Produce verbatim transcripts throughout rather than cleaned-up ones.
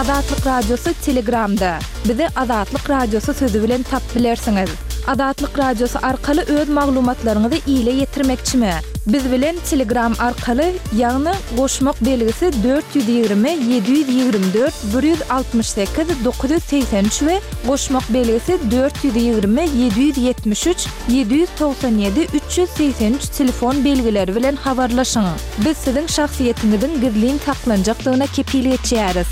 Azatlyk Radiosy Telegramda. Bizi Azatlyk Radiosy sözi bilen tapyp bilersiňiz. Azatlyk Radiosy arkaly öz maglumatlaryňyzy ile ýetirmekçimi? Biz bilen Telegram arkaly, ýagny goşmak belgisi dört ýüz ýigrimi ýedi ýüz ýigrimi dört bir ýüz altmyş sekiz dokuz ýüz segsen üç we goşmak belgisi dört ýüz ýigrimi ýedi ýüz ýetmiş üç ýedi ýüz togsan ýedi üç ýüz segsen üç telefon belgileri bilen habarlaşyň. Biz siziň şahsyýetiňiziň gizlin saklanjakdygyna kepil geçýäris.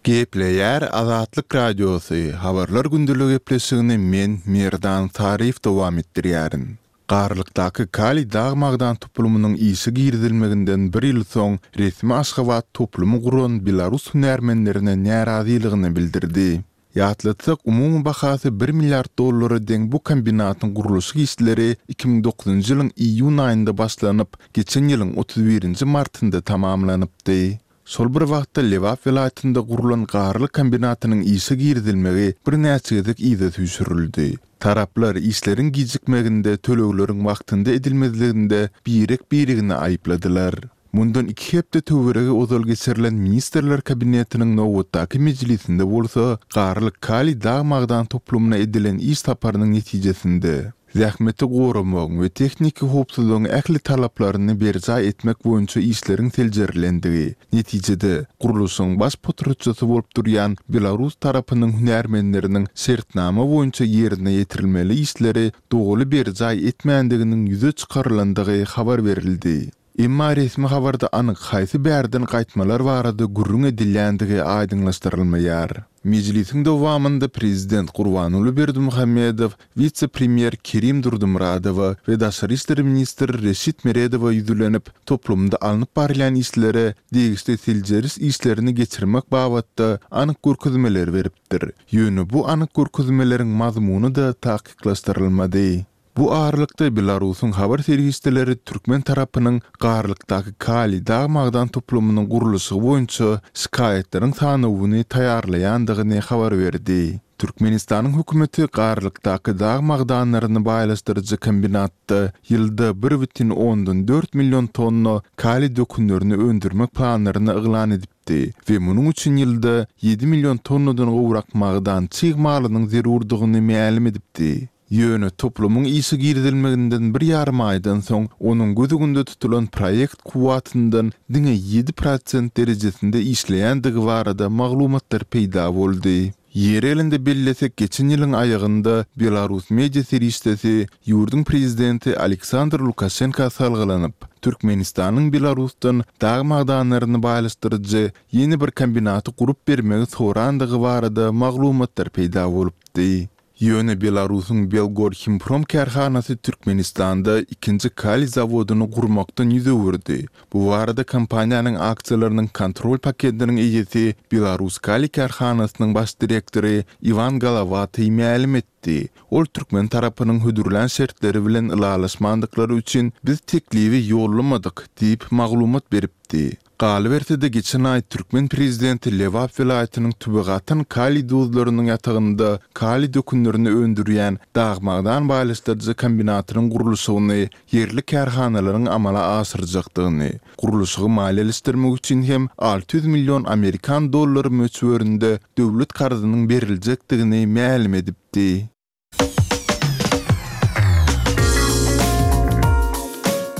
Gepleýär Azatlyk Radiosy, Habarlar gündelik gepleşigini men, Merdan Saryýew dowam etdirýärin. Garlykdaky Kaliý dag-magdan toplumynyň işe girizilmeginden bir ýyl soň resmi Aşgabat toplumy guran belarus hünärmenlerine närazylygyny bildirdi. Ýatlatsak, umumy bahasy bir milliard dollara deň bu kombinatyň gurluşyk işleri iki müň dokuzynjy ýylyň iýun aýynda başlanyp, geçen ýylyň otuz birinji martynda tamamlanypdy. Şol bir wagtda Lebap welaýatynda gurlan Garlyk kombinatynyň işe girizilmegi birnäçe gezek yza süýşürildi. Taraplar işleriň gijikmeginde, tölegleriň wagtynda edilmezliginde birek-biregini aýypladylar. Mundan iki hepde töweregi ozal geçirilen Ministrler Kabinetiniň nobatdaky mejlisinde bolsa Garlyk kaliý dag-magdan toplumyna edilen iş saparynyň netijesinde, zähmeti goramagyň we tehniki howpsuzlygyň ähli talaplaryny berjaý etmek boýunça işleriň seljerilendigi, netijede, gurluşygyň baş potratçysy bolup durýan belarus tarapynyň hünärmenleriniň şertnama boýunça ýerine ýetirilmeli işleri doly berjaý etmändiginiň ýüze çykarylandygy habar berildi. Emma resmi habarda anyk haýsy bärden gaýtmalar barada gürrüň edilýändigi aýdyňlaşdyrylmaýar. Mejlisiň dowamynda prezident Gurbanguly Berdimuhamedow wise-premýer Kerim Durdymyradowa we daşary işler ministri Reşit Meredowa ýüzlenip, toplumda alnyp barylýan işlere degişli seljeriş işlerini geçirmek babatda anyk görkezmeleri beripdir. Ýöne bu anyk görkezmeleriň mazmuny-da takyklaşdyrylmady. Bu aralykda Belarusyň habar serişdeleri türkmen tarapynyň Garlykdaky kaliý dag-magdan toplumynyň gurluşygy boýunça şikaýatlaryň sanawyny taýýarlaýandygyny habar berdi. Türkmenistanyň hökümeti Garlykdaky dag magdanlaryny baýlaşdyryjy kombinatda ýylda bir bütin ondan dört million tonna kaliý dökünlerini öndürmek planlaryny yglan edipdi we munuň üçin ýylda ýedi million tonnadan gowrak magdan çig malynyň zerurdygyny mälim edipdi. Ýöne toplumyň işe girizilmeginden bir ýarym aýdan soň onuň göz öňünde tutulan proýekt kuwwatyndan diňe ýedi prosent derejesinde işleýändigi barada maglumatlar peýda boldy. Ýeri gelende bellesek, geçen ýylyň aýagynda belarus media serişdesi ýurduň prezidenti Aleksandr Lukaşenka salgylanyp, Türkmenistanyň Belarusdan dag magdanlaryny baýlaşdyryjy ýene bir kombinaty gurup bermegi sorandygy barada maglumatlar peýda bolupdy. Ýöne Belarusyň Belgorhimprom kärhanasy Türkmenistanda ikinji kaliý zawodyny gurmakdan ýüz öwürdi. Bu barada kompaniýanyň aksiýalarynyň kontrol paketiniň eýesi Belaruskaliý kärhanasynyň baş direktory Iwan Golowatyý mälim etdi. Ol türkmen tarapynyň hödürlän şertleri bilen ylalaşmandyklary üçin biz teklibi ýollamadyk diýip maglumat beripdi. Galyberse-de, geçen aý türkmen prezidenti Lebap welaýatynyň Tüwegatan kaliý duzlarynyň ýatagynda kaliý dökünlerini öndürýän dag-magdan baýlaşdyryjy kombinatynyň gurluşygyny ýerli kärhanalaryň amala aşyrjakdygyny, gurluşygy maliýeleşdirmek üçin hem alty ýüz million amerikan dollary möçberinde döwlet karzynyň beriljekdigini mälim edipdi.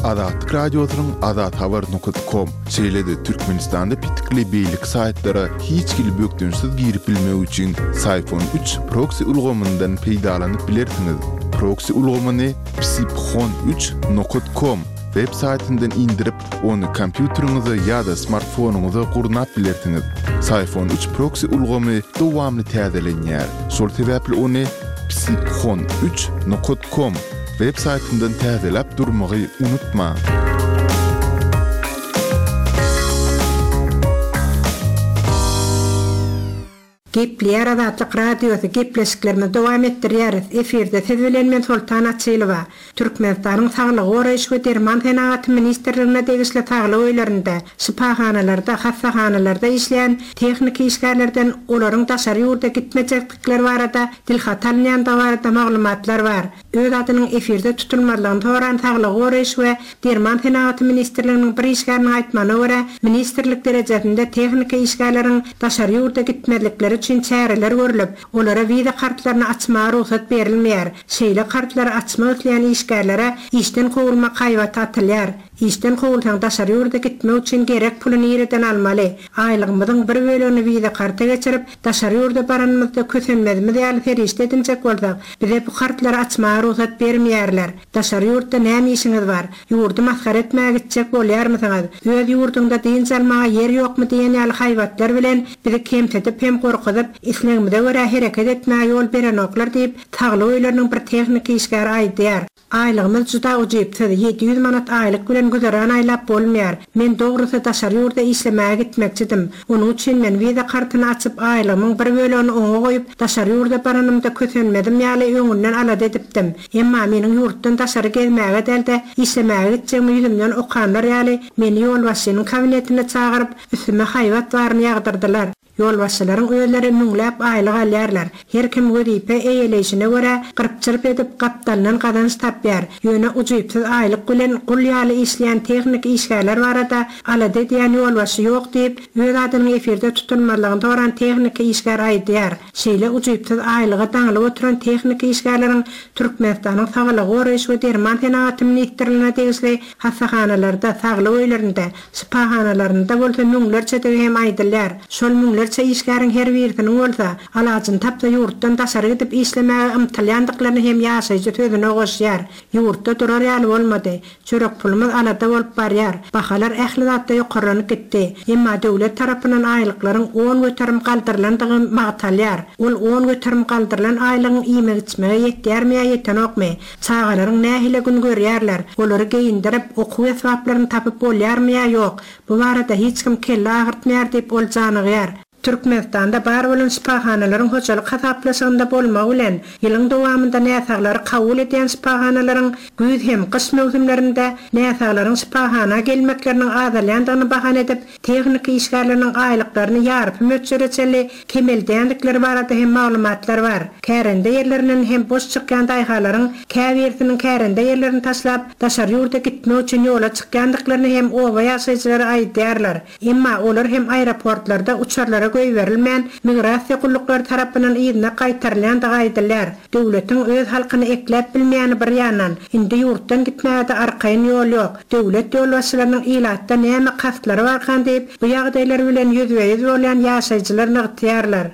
Azatlyk Radiosynyň azathabar nokat kom, şeýle-de Türkmenistanda petikli beýleki saýtlara hiç hili bökdençsiz girip bilmek üçin Syphon üç proksi ulgamyndan peýdalanyp bilersiňiz. Proksi ulgamyny psiphon üç nokat kom web saýtyndan indirip, ony kompýuteriňize ýa-da smartfonyňyza gurnap bilersiňiz. Syphon üç proksi ulgamy dowamly täzelenýär. Şol sebäpli ony psiphon üç nokat kom web saýtyndan täzeläp durmagy unutmaň. Gepleýär Azatlyk Radiosy, gepleşiklerimizi dowam etdirýäris. Efirde siz bilen men Soltan Açylowa. Türkmenistanyň Saglygy goraýyş we derman senagaty ministrligine degişli saglyk öýlerinde, şypahanalarda, hassahanalarda işleýän tehniki işgärlerden olaryň daşary ýurda gitmejekdikleri barada dilhat alynýandygy barada maglumatlar bar. Öz adynyň efirde tutulmazlygyny soran Saglygy goraýyş we derman senagaty ministrliginiň bir işgäriniň aýtmagyna görä, ministrlik derejesinde tehniki işgärleriň daşary ýurda gitmezlikleri üçin çäreler görlüp, olara wiza kartlaryny açmaga rugsat berilmeýär. Şeýle kartlary açmak isleýän işgärlere işden kowulmak haýbaty atylýar. Işden kowulsaň daşary ýurda gitmek üçin gerek puly nireden almaly? Aýlygymyzyň bir bölegini wiza karta geçirip, daşary ýurda baranymyzda kösenmezimiz ýaly serişde edinjek bolsak, bize bu kartlary açmaga rugsat bermeýärler. Daşary ýurtda näme işiňiz bar? Ýurdy masgara etmäge gitjek bolýarmysyňyz? Öz ýurduňda dynç almaga ýer ýokmy diýen ýaly haýbatlar bilen bizi kemsidip hem gorkuzyp, islegimize görä hereket etmäge ýol berenoklar diýip, saglyk öýleriniň bir tehniki işgäri aýdýar. Aýlygymyz juda ujypsyz, ýedi ýüz manat aýlyk bilen güzeran aýlap bolmaýar. Men dogrusy daşary ýurda işlemäge gitmekçidim. Onuň üçin men wiza kartyny açyp, aýlygymyň bir bölegini oňa goýup, daşary ýurda baranymda kösenmezim ýaly öňünden alada edipdim. Emma meniň ýurtdan daşary gezmäge däl-de, işlemäge gitjegimi ýüzümden okanlar ýaly, meni ýolbaşçynyň kabinetine çagyryp, üstüme haýbat baryny ýagdyrdylar. Ýolbaşçylaryň özleri müňläp aýlyk alýarlar. Her kim wezipe eýeleýşine görä gyrp-çyrp edip gapdalyndan gazanç tapýar. Ýöne ujypsyz aýlyk bilen gul ýaly işleýän tehniki işgärler barada alada edýän ýolbaşçy ýok diýip, öz adynyň efirde tutulmazlygyny soran tehniki işgär aýdýar. Şeýle ujypsyz aýlyga daňylyp oturan tehniki işgärleriň Türkmenistanyň Saglygy goraýyş we derman senagaty ministrligine degişli hassahanalarda, saglyk öýlerinde, şypahanalarynda bolsa müňlerçedigi hem aýdylýar. Şol müňlerçe işgäriň her birisiniň bolsa alajyny tapsa ýurtdan daşary gidip işlemäge ymtylýandyklaryny hem ýaşaýjy sözüne goşýar. Ýurtda durar ýaly bolmady. Çörek pulumyz alada bolup barýar. Bahalar ähli zatda ýokarlanyp gitdi. Emma döwlet tarapyndan aýlyklaryň on göterim galdyrylandygy magtalýar. Ol on göterim galdyrylan aýlygyň iýmek-içmege ýetýärmi ýa ýetenokmy? Çagalaryň nähili gün görýärler? Olary geýindirip, okuw esbaplaryny tapyp bolýarmy ýa ýok? Bu barada hiç kim kelle agyrtmaýar diýip ol janygýar. Türkmenistanda bar bolan şypahanalaryň hojalyk hasaplaşygynda bolmagy bilen, ýylyň dowamynda näsaglary kabul edýän şypahanalaryň güýz hem gyş möwsümlerinde näsaglaryň şypahana gelmekleriniň azalýandygyny bahana edip, tehniki işgärleriniň aýlyklaryny ýarpy möçbere çenli kemeldýändikleri barada hem maglumatlar bar. Kärende ýerlerinden hem boş çykýan daýhalaryň käbirisiniň kärende ýerlerini taşlap, daşary ýurda gitmek üçin ýola çykýandyklaryny hem oba ýaşaýjylary aýdýarlar. Emma olar hem aeroportlarda uçarlara goýberilmän, migrasiýa gulluklary tarapyndan yzyna gaýtarylýandygy aýdylýar. Döwletiň öz halkyny ekläp bilmeýäni bir ýandan, indi ýurtdan gitmäge-de arkaýyn ýol ýok. Döwlet ýolbaşçylarynyň ilatda näme kastlary barkan diýip, bu ýagdaýlar bilen ýüzbe-ýüz bolýan ýaşaýjylar nygtaýarlar.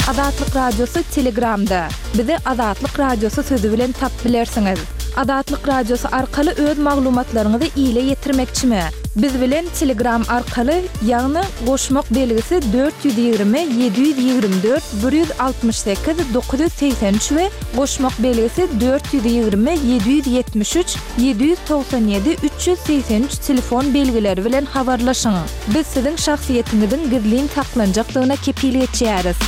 Azatlyk Radiosy Telegramda. Bizi Azatlyk Radiosy sözi bilen tap bilersiňiz. Azatlyk Radiosy arkaly öz maglumatlaryňyzy ile ýetirmekçimi? Biz bilen Telegram arkaly, ýagny goşmak belgisi dört ýüz ýigrimi, ýedi ýüz ýigrimi dört, bir ýüz altmyş sekiz, dokuz ýüz segsen üç we goşmak belgisi dört ýüz ýigrimi, ýedi ýüz ýetmiş üç, ýedi ýüz togsan ýedi, üç ýüz segsen üç telefon belgileri bilen habarlaşyň. Biz siziň şahsyýetiňiziň gizlin saklanjakdygyna kepil geçýäris.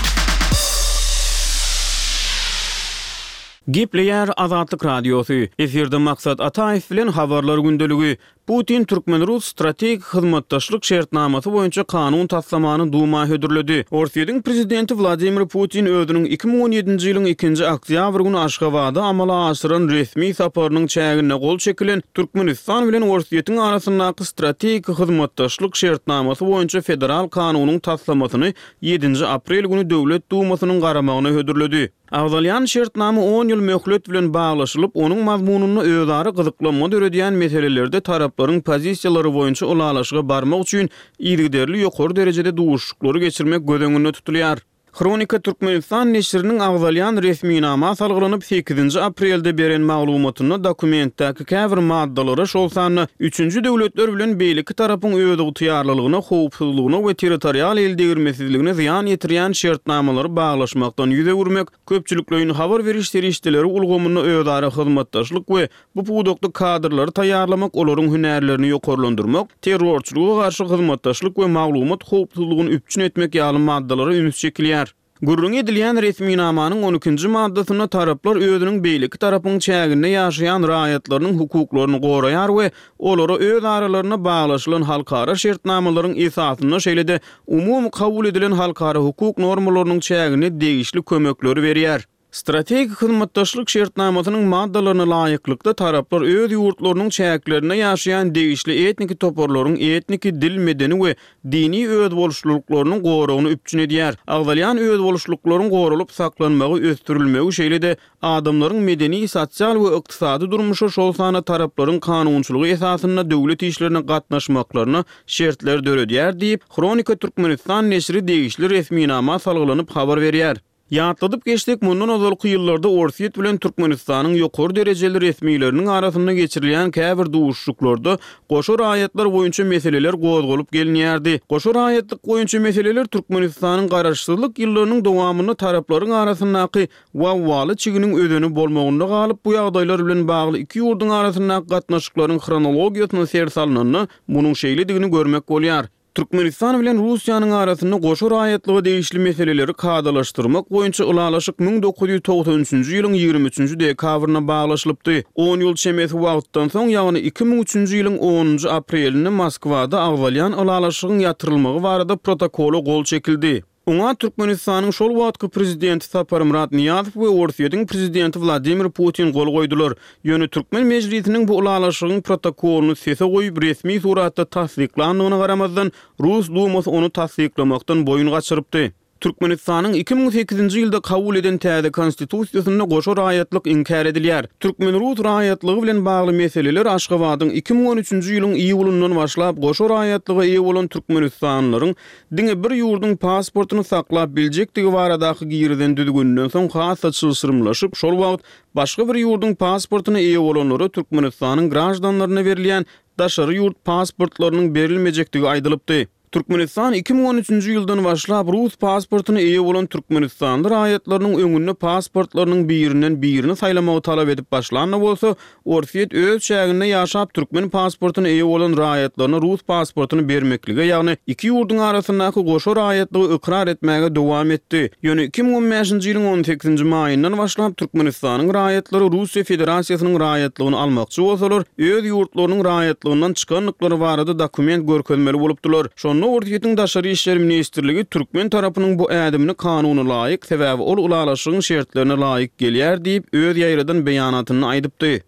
Gepleýär Azatlyk Radiosy. Efirde Maksat Ataýew bilen habarlar gündeligi. Putin türkmen-rus strategik hyzmatdaşlyk şertnamasy boýunça kanun taslamany Duma hödürledi. Orsýetiň prezidenti Wladimir Putin özüniň iki müň on ýedinji ýylyň ikinji oktýabr güni Aşgabada amala aşyran resmi saparynyň çäginde gol çekilen Türkmenistan bilen Orsýetiň arasyndaky strategik hyzmatdaşlyk şertnamasy boýunça federal kanunyň taslamasyny ýedinji aprel güni Döwlet Dumasynyň garamagyna hödürledi. Agzalýan şertnama on ýyl möhlet bilen baglaşylyp, onuň mazmunynda özara gyzyklanma döredýän meselelerde taraplaryň pozisiýalary boýunça ylalaşyga barmak üçin yzygiderli ýokary derejede duşuşyklary geçirmek göz öňünde tutulýar. Hronika Türkmenistan neşiriniň agzalýan resminama salgylanyp sekizinji aprelde beren maglumatynda dokumentdäki käbir maddalara, şol sanda üçünji döwletler bilen beýleki tarapyň özygtyýarlylygyna, howpsuzlygyna we territorial eldegirmesizligine zyýan ýetirýän şertnamalary baglaşmakdan ýüz öwürmek, köpçülikleýin habar beriş serişdeleri ulgamynda özara hyzmatdaşlyk we bu pudakda kadrlary taýýarlamak, olaryň hünärlerini ýokarlandyrmak, terrorçylyga garşy hyzmatdaşlyk we maglumat howpsuzlygyny üpjün etmek ýaly maddalara üns çekilýär. Gürrüň edilýän resminamanyň on ikinji maddasynda taraplar özüniň beýleki tarapyň çäginde ýaşaýan raýatlarynyň hukuklaryny goraýar we olara öz aralarynda baglaşylan halkara şertnamalaryň esasynda şeýle-de umumy kabul edilen halkara hukuk normalarynyň çäginde degişli kömekleri berýär. Strategik hyzmatdaşlyk şertnamasynyň maddalaryna laýyklykda, taraplar öz ýurtlarynyň çäklerinde ýaşaýan degişli etniki toparlaryň etniki, dil, medeni we dini özboluşlylyklarynyň goragyny üpjün edýär. Agzalýan özboluşlyklaryň goralyp saklanmagy, ösdürilmegi, şeýle-de adamlaryň medeni, sosial we ykdysady durmuşa, şol sanda taraplaryň kanunçylygy esasynda döwlet işlerine gatnaşmaklaryna şertler döredýär diýip, Hronika Türkmenistan neşiri degişli resminama salgylanyp habar berýär. Ýatladyp geçsek, mundan ozalky ýyllarda Orsýet bilen Türkmenistanyň ýokary derejeli resmileriniň arasynda geçirilýän käbir duşuşyklarda goşa raýatlar boýunça meseleler gozgalyp gelinýärdi. Goşa raýatlyk boýunça meseleler Türkmenistanyň garaşsyzlyk ýyllarynyň dowamynda taraplaryň arasyndaky wawwaly çiginiň özeni bolmagynda galyp, bu ýagdaýlar bilen bagly iki ýurduň arasyndaky gatnaşyklaryň hronologiýasyna ser salnanda, munuň şeýledigini görmek bolýar. Türkmenistan bilen Russiýanyň arasynda goşa raýatlyga degişli meseleleri kadalaşdyrmak boýunça ylalaşyk müň dokuz ýüz togsan üçünji ýylyň ýigrimi üçünji dekabrynda baglaşylypdy. On ýyl çemesi wagtdan soň, ýagny iki müň üçünji ýylyň onunjy aprelinde Moskwada agzalýan ylalaşygyň ýatyrylmagy barada protokola gol çekildi. Oňa Türkmenistanyň şol wagtky prezidenti Saparmyrat Nyýazow we Orsýetiň prezidenti Wladimir Putin gol goýdular. Ýöne türkmen mejlisiniň bu ylalaşygyň protokolyny sese goýup, resmi suratda tassyklandygyna garamazdan, Rus Dumasy ony tassyklamakdan boýun gaçyrypdy. Türkmenistanyň iki müň sekizinji ýylda kabul eden täze Konstitusiýasynda goşa raýatlyk inkär edilýär. Türkmen-rus raýatlygy bilen bagly meseleler Aşgabadyň iki müň on üçünji ýylyň iýulyndan başlap goşa raýatlyga eýe bolan türkmenistanlylaryň diňe bir ýurduň pasportyny saklap biljekdigi baradaky girizen düzgüninden soň has-da çylşyrymlaşyp, şol wagt başga bir ýurduň pasportyna eýe bolanlara Türkmenistanyň graždanlaryna berilýän daşary ýurt pasportlarynyň berilmejekdigi aýdylypdy. Türkmenistan iki müň on üçünji ýyldan başlap rus pasportyna eýe bolan türkmenistanly raýatlarynyň öňünde pasportlarynyň birinden birini saýlamagy talap edip başlan-da bolsa, Orsýet öz çäginde ýaşap türkmen pasportyna eýe bolan raýatlaryna rus pasportyny bermeklige, ýagny iki ýurduň arasyndaky goşa raýatlygy ykrar etmäge dowam etdi. Ýöne iki müň on bäşinji ýylyň on sekizinji maýyndan başlap Türkmenistanyň raýatlary Russiýa Federasiýasynyň raýatlygyny almakçy bolsalar, öz ýurtlarynyň raýatlygyndan çykandyklary barada dokument görkezmeli bolupdylar. Şonda Orsýetiň Daşary işler ministrligi türkmen tarapynyň bu ädimini kanuna laýyk, sebäbi ol ylalaşygyň şertlerine laýyk gelýär diýip, öz ýaýradan beýanatynda aýdypdy.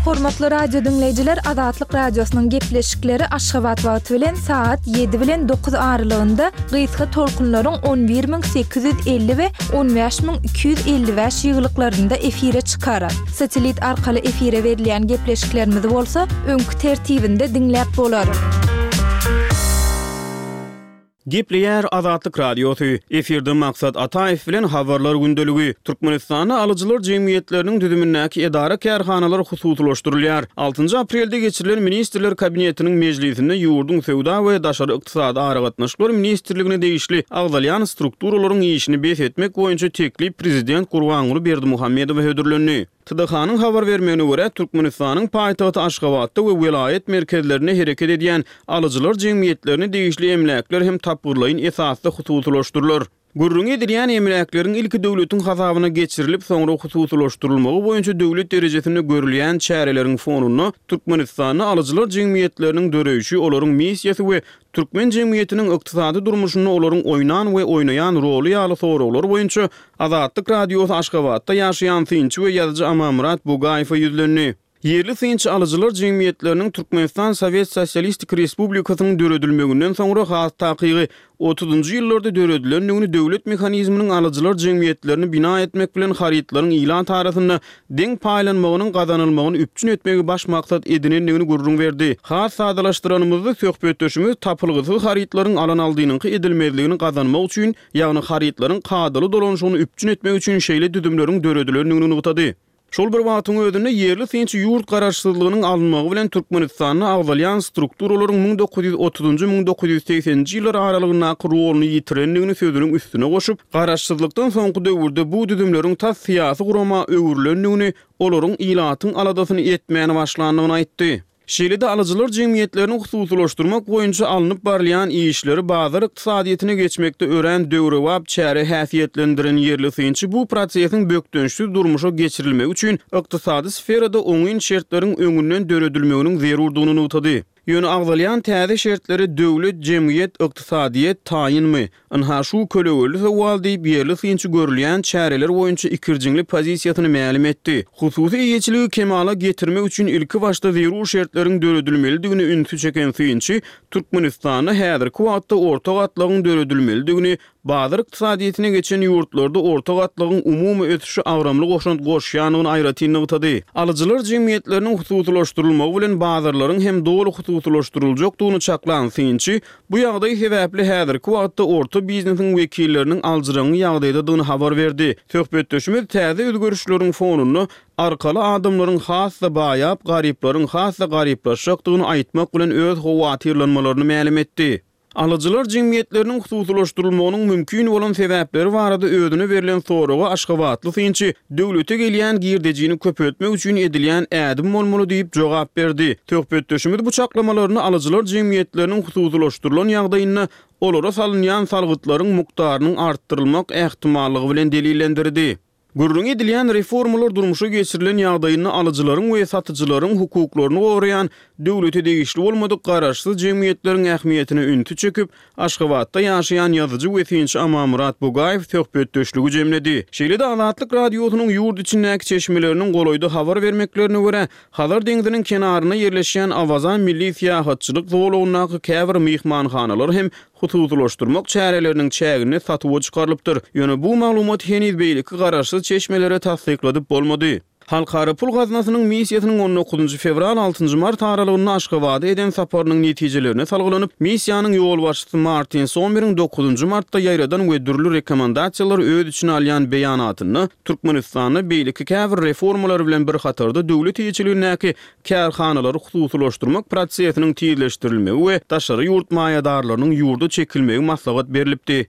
Hormatly radio diňleýjiler, Azatlyk Radiosynyň gepleşikleri Aşgabat wagty bilen saat ýedi bilen dokuz aralygynda gysga tolkunlaryň on bir müň sekiz ýüz elli we on bäş müň iki ýüz elli bäş ýygylyklarynda efire çykar. Satellit arkaly efire berilýän gepleşiklerimizi bolsa öňki tertibinde diňläp bolar. Gepleýär Azatlyk Radiosy. Efirde Maksat Ataýew bilen Habarlar gündeligi. Türkmenistanda alyjylar jemgyýetleriniň düzümindäki edara-kärhanalar hususylaşdyrylýar. Altynjy aprelde geçirilen Ministrler Kabinetiniň mejlisinde ýurduň Söwda we daşary ykdysady aragatnaşyklar ministrligine degişli agzalýan strukturalaryň işini bes etmek boýunça teklip prezident Gurbanguly Berdimuhamedowa hödürlendi. T D H-nyň habar bermegine görä, Türkmenistanyň paýtagty Aşgabatda we welaýat merkezlerinde hereket edýän alyjylar jemgyýetlerine degişli emläkler hem tapgyrlaýyn esasda hususylaşdyrylar. Gürrüňi edilýän emläkleriň ilki döwletiň hasabyna geçirilip, soňra hususylaşdyrylmagy boýunça döwlet derejesinde görülýän çäreleriň fonunda Türkmenistanda alyjylar jemgyýetleriniň döreýşi, olaryň missiýasy we türkmen jemgyýetiniň ykdysady durmuşynda olaryň oýnan we oýnaýan roly ýaly soraglar boýunça Azatlyk Radiosy Aşgabatda ýaşaýan synçy we ýazyjy Amanmyrat Bugaýewe ýüzlendi. Ýerli synçy alyjylar jemgyýetleriniň Türkmenistan Sowet Sosialistik Respublikasynyň döredilmeginden soňra has takygy otuzynjy ýyllarda döredilendigini döwlet mehanizminiň alyjylar jemgyýetlerini bina etmek bilen harytlaryň ilat arasynda deň paýlanmagynyň gazanylmagyny üpjün etmegi baş maksat edinendigini gürrüň berdi. Has sadalaşdyranymyzda söhbetdeşimiz tapylgysyz harytlaryň alan-aldynyňky edilmezligini gazanmak üçin, ýagny harytlaryň kadaly dolanyşygyny üpjün etmek üçin şeýle düzümleriň döredilendigini nygtady. Şol bir wagtyň özünde ýerli synçy ýurt garaşsyzlygynyň alynmagy bilen Türkmenistanda agzalýan strukturalaryň müň dokuz ýüz otuzynjy müň dokuz ýüz segseninji ýyllar aralygyndaky roluny ýitirendigini sözüniň üstüne goşup, garaşsyzlykdan soňky döwürde bu düzümleriň tas syýasy gurama öwrülendigini, olaryň ilatyň aladasyny etmäni başlandygyny aýtdy. Şeýle-de alyjylar jemgyýetlerini hususylaşdyrmak boýunça alnyp barylýan işleri bazar ykdysadyýetine geçmekde örän döwrebap çäre häsiýetlendiren ýerli synçy bu prosesiň bökdençsiz durmuşa geçirilmegi üçin ykdysady sferada oňyn şertleriň öňünden döredilmeginiň zerurdygyny nygtady. Ýöne agzalýan täze şertlere döwlet, jemgyýet, ykdysadyýet taýynmy? Ynha şu kölegeli sowal diýip, ýerli synçy görülýän çäreler boýunça ikirjiňli pozisiýasyny mälim etdi. Hususy eýeçiligi kemala getirmek üçin ilki başda zerur şertleriň döredilmelidigine ünsi çeken synçy, Türkmenistanda häzirki wagtda orta gatlagyň döredilmelidigini, bazar ykdysadyýetine geçen ýurtlarda orta gatlagyň umumy ösüşe agramly goşant goşýandygyny aýratyn nygtady. Alyjylar jemgyýetleriniň hususylaşdyrylmagy bilen bazarlaryň hem doly hususylaşdyryljakdygyny çaklan synçy, bu ýagdaý sebäpli häzirki wagtda orta biznesiň wekilleriniň aljyraňňy ýagdaýdadygyny habar berdi. Söhbetdeşimiz täze özgerişleriň fonunda arkaly adamlaryň has-da baýap, garyplaryň has-da garyplaşjakdygyny aýtmak bilen öz howatyrlanmalaryny mälim etdi. Alyjylar jemgyýetleriniň hususylaşdyrylmagynyň mümkin bolan sebäpleri barada özüne berlen soraga aşgabatly synçy döwlete gelýän girdejini köpeltmek üçin edilýän ädim bolmaly diýip jogap berdi. Söhbetdeşimiz bu çaklamalaryny alyjylar jemgyýetleriniň hususylaşdyrylan ýagdaýynda olara salynýan salgytlaryň mukdarynyň artdyrylmak ähtimallygy bilen delillendirdi. Gürrüňi edilýän reformalar durmuşa geçirilen ýagdaýynda alyjylaryň we satyjylaryň hukuklaryny goraýan döwlete degişli bolmadyk garaşsyz jemgyýetleriň ähmiýetine ünsi çekip, Aşgabatda ýaşaýan ýazyjy we synçy Amanmyrat Bugaýew söhbetdeşligi jemledi. Şeýle-de Azatlyk Radiosynyň ýurt içindäki çeşmeleriniň golaýda habar bermeklerine görä, Hazar deňziniň kenarynda ýerleşýän Awaza milli syýahatçylyk zolagyndaky käbir myhmanhanalar hem hususylaşdyrmak çäreleriniň çäginde satuwa çykarylypdyr. Ýöne bu maglumaty heniz beýleki garaşsyz çeşmelere tassykladyp bolmady. Halkara pul gaznasynyň missiýasynyň on dokuzynjy fewral altynjy mart aralygynda Aşgabada eden saparynyň netijelerine salgylanyp, missiýanyň ýolbaşçysy Martin Sommeriň dokuzynjy martda ýaýradan we dürli rekomendasiýalary öz içine alýan beýanatynda Türkmenistanda beýleki käbir reformalar bilen bir hatarda döwlet eýeçiligindäki kärhanalary hususylaşdyrmak prosesiniň tizleşdirilmegi we daşary ýurt maýadarlarynyň ýurda çekilmegi maslahat berlipdi.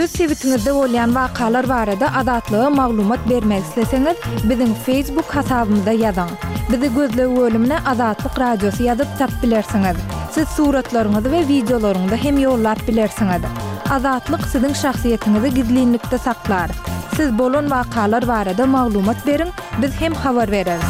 Öz sebitiňizde bolýan wakalar barada Azatlyga maglumat bermek isleseňiz, biziň Facebook hasabymyza ýazyň. Bizi gözleg bölümine Azatlyk Radiosy ýazyp tapyp bilersiňiz. Siz suratlaryňyzy we wideolaryňyzy hem ýollap bilersiňiz. Azatlyk siziň şahsyýetiňizi gizlinlikde saklar. Siz bolan wakalar barada maglumat beriň, biz hem habar bereris.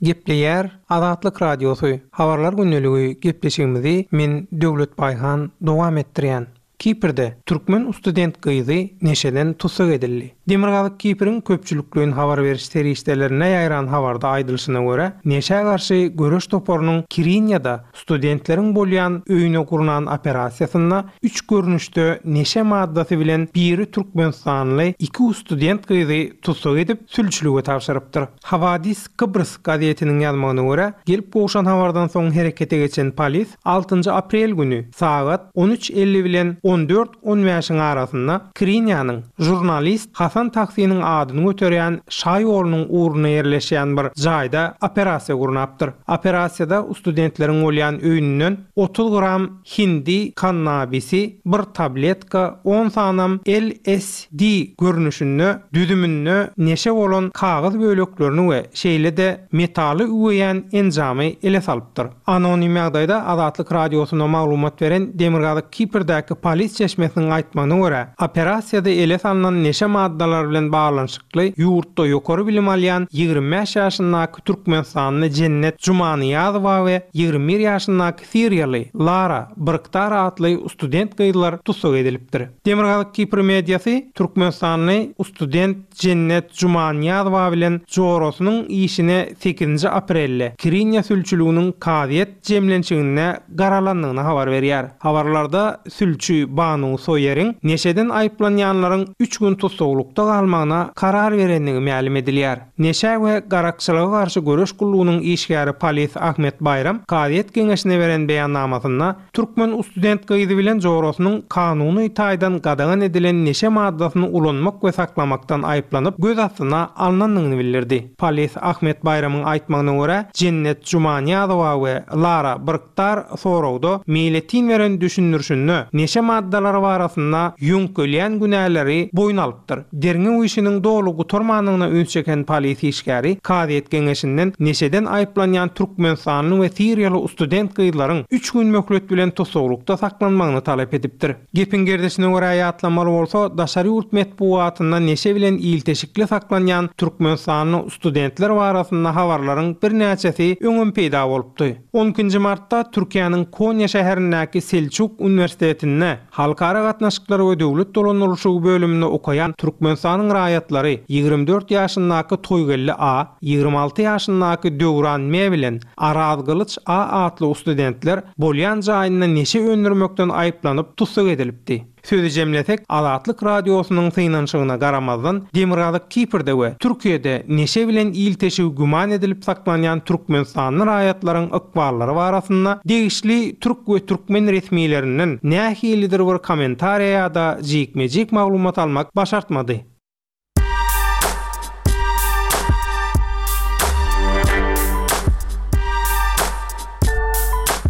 Gepleýär Azatlyk Radiosy. Habarlar gündeligi gepleşigimizi men Döwlet Baýhan dowam etdirýän. Kiprde türkmen student gyzy neşeden tussag edildi. Demirgazyk Kipriň köpçülikleýin habar beriş serişdelerine ýaýran habarda aýdylyşyna görä, neşä garşy göreş toparynyň Kirinýada studentleriň bolýan öýüne gurnan operasiýasynda üç görnüşde neşe maddasy bilen biri türkmenistanly iki student gyzy tussag edip sülçülige tabşyrypdyr. Havadis Kıbrıs gazetiniň ýazmagyna görä, gelip gowşan habardan soň herekete geçen polis altynjy aprel günü sagat on üç elli bilen on dört on bäşiň arasynda Kirinýanyň jurnalist Hasan Taksiniň adyny göterýän Şaý ýolunyň ugruna ýerleşýän bir jaýda operasiýa gurnapdyr. Operasiýada studentleriň bolýan öýünden otuz gram hindi kannabisi, bir tabletka, on sanam L S D görnüşinde düzüminde neşe bolan kagyz böleklerini we şeýle-de metaly üweýän enjamy ele salypdyr. Anonim ýagdaýda Azatlyk Radiosyna maglumat beren Demirgazyk Kiprdäki polis çeşmesiniň aýtmagyna görä, operasiýada ele salynan neşe maddalary bilen baglanyşykly ýurtda ýokary bilim alýan ýigrimi bäş ýaşyndaky Türkmenistanly Jennet Jumanyýazowa we ýigrimi bir ýaşyndaky Siriýaly Lara Byrktar atly student gyzlar tussag edilipdir. Demirgazyk Kipr mediasy Türkmenistanly student Jennet Jumanyýazowa bilen jorasynyň işine sekizinji aprelde Kirinýa sülçüliginiň kazyýet jemlenşiginde garalandygyny habar berýär. Habarlarda sülçi Banu Soýeriň neşeden aýyplanýanlaryň üç gün tussaglykda galmagyna karar berendigi mälim edilýär. Neşe we garakçylyga garşy göreş gullugynyň işgäri polis Ahmet Baýram kazyýet geňeşine beren beýannamasynda türkmen student gyzy bilen jorasynyň kanuny taýdan gadagan edilen neşe maddasyny ulanmak we saklamakdan aýyplanyp göz astyna alnandygyny bildirdi. Polis Ahmet Baýramyň aýtmagyna görä, Jennet Jumanyýazowa we Lara Byrktar soragda meýletin beren düşündirişinde neşe maddalary barasynda ýöňkelýän günäleri boýun alypdyr. Derňew işiniň doly gutarmandygyna üns çeken polisiýa işgäri kazyýet geňeşinden neşeden aýyplanýan türkmenistanly we siriýaly student gyzlaryň üç gün möhlet bilen tussaglykda saklanmagyny talap edipdir. Gepiň gerdişine görä ýatlamaly bolsa, daşary ýurt metbugatynda neşe bilen ilteşikli saklanýan türkmenistanly studentler barasynda habarlaryň birnäçesi öňem peýda bolupdy. On ikinji martda Türkiýäniň Konýa şäherindäki Selçuk uniwersitetinde Halkara gatnaşyklary we döwlet dolandyrylyşygy bölüminde okaýan Türkmenistanyň raýatlary ýigrimi dört ýaşyndaky Toýgeldi A, ýigrimi alty ýaşyndaky Döwran M bilen Arazgylyç A atly studentler bolýan jaýynda neşe öndürmekden aýyplanyp tussag edilipdi. Sözi jemlesek, Azatlyk Radiosynyň synanyşygyna garamazdan, Demirgazyk Kiprde we Türkiýede neşe bilen ilteşigi güman edilip saklanýan türkmenistanly raýatlaryň ykballary barasynda degişli türk we türkmen resmilerinden nähilidir bir kommentariýa ýa-da jikme-jik maglumat almak başartmady.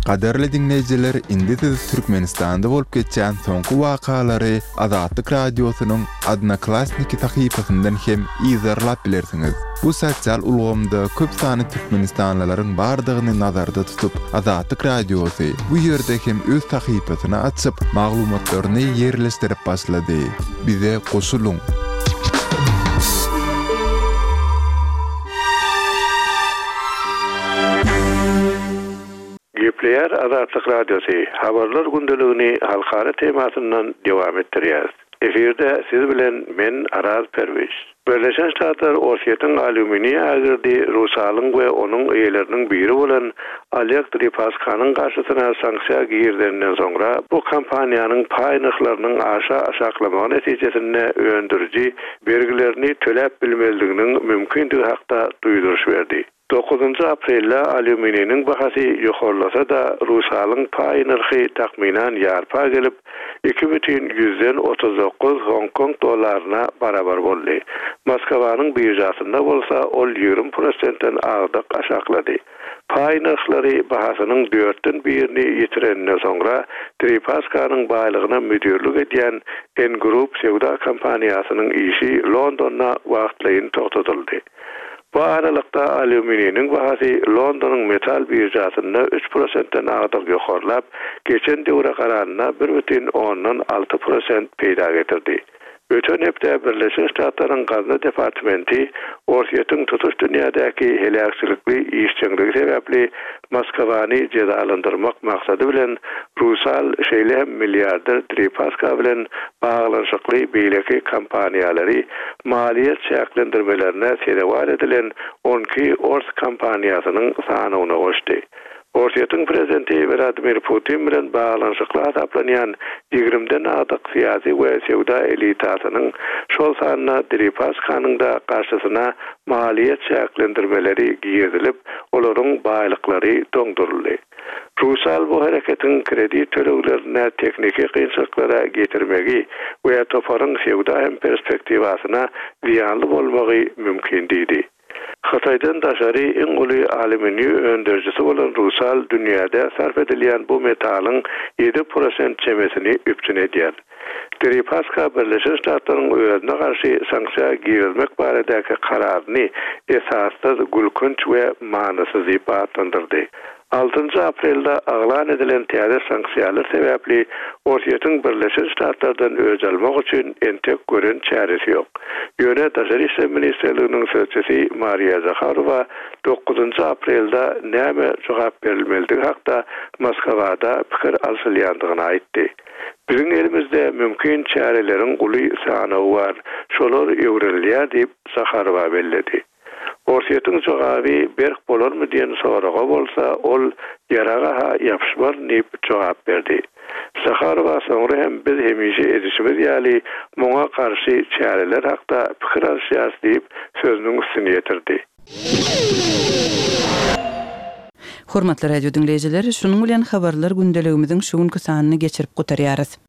Gadyrly diňleýjiler, indi siz Türkmenistanda bolup geçýän soňky wakalary Azatlyk Radiosynyň Odnoklassniki sahypasyndan hem yzarlap bilersiňiz. Bu sosial ulgamda köp sanly türkmenistanlylaryň bardygyny nazarda tutup, Azatlyk Radiosy bu ýerde hem öz sahypasyny açyp, maglumatlaryny ýerleşdirip başlady. Bize goşulyň! Gepleýär Azatlyk Radiosy, habarlar gündeligini halkara temasyndan dowam etdirýäris. Efirde siz bilen men Araz Perwiş. Birleşen Ştatlar Orsýetiň alýuminiý ägirdi Rusalyň we onuň eýeleriniň biri bolan Oleg Deripaskanyň garşysyna sanksiýa girizeninden soňra bu kompaniýanyň paý nyrhlarynyň aşa aşaklamagy netijesinde öndüriji bergilerini töläp bilmezliginiň mümkindigi hakda duýduryş berdi. Dokuzynjy aprelde alýumininiň bahasy ýokarlasa-da, Rusalyň paý nyrhy takmynan ýarpa gelip, iki bütin ýüzden otuz dokuz Hong Kong dollaryna barabar boldy. Moskwanyň biržasynda bolsa ol ýigrimi prosentden agdyk aşaklady. Paý nyrhlary bahasynyň dörtden birini ýitireninden soňra Deripaskanyň baýlygyna müdirlik edýän N Group söwda kompaniýasynyň işi Londonda wagtlaýyn togtatyldy. Bu aralykda alýumininiň bahasy Londonyň metal biržasynda üç prosentden agdyk ýokarlap, geçen döwre garanda bir bütin ondan alty prosent peýda getirdi. Öten hepde Birleşen Ştatlaryň Gazna departamenti Orsýetiň tutuş dünýädäki heläkçilikli işjeňligi sebäpli Moskwany jezalandyrmak maksady bilen Rusal şeýle hem milliarder Deripaska bilen baglanyşykly beýleki kompaniýalary maliýe çäklendirmelerine sezewar edilen on iki ors kompaniýasynyň sanawyna goşdy. Orsýetiň prezidenti Wladimir Putin bilen baglanyşykly hasaplanýan ýigrimden agdyk syýasy we söwda elitasynyň, şol sanda Deripaskanyň da garşysyna maliýe çäklendirmeleri girizilip, olaryň baýlyklary doňduryldy. Rusal bu hereketiň kredit töleglerine tehniki kynçylyklara getirmegi we toparyň söwda hem perspektiwasyna zyýanly bolmagy mümkin diýdi. Hytaýdan daşary iň uly alýuminiý öndürijisi bolan Rusal dünýäde sarp edilýän bu metalyň ýedi prosent çemesini üpjün edýär. Deripaska Birleşen Ştatlaryň özüne garşy sanksiýa girizmek baradaky kararyny esassyz, gülkünç we manysyz diýip atlandyrdy. Altynjy aprelde yglan edilen täze sanksiýalar sebäpli Orsýetiň Birleşen Ştatlardan öç almak üçin entek gören çäresi ýok. Ýöne Daşary işler ministrliginiň sözçüsi Mariýa Zaharowa dokuzynjy aprelde näme jogap berilmelidigi hakda Moskwada pikir alşylýandygyny aýtdy. Biziň elimizde mümkin çäreleriň uly sanawy bar, şolar öwrenilýär diýip Zaharowa belledi. Orsýetiň jogaby berk bolarmy diýen soraga bolsa ol ýaraga-ha ýapyşmar diýip jogap berdi. Zaharowa soňra hem biz hemişe edişimiz ýaly muňa garşy çäreler hakda pikir alşýarys diýip sözüniň üstüni ýetirdi. Hormatly radio diňleýjiler, şunuň bilen habarlar gündeligimiziň şu günki sanyny geçirip gutarýarys.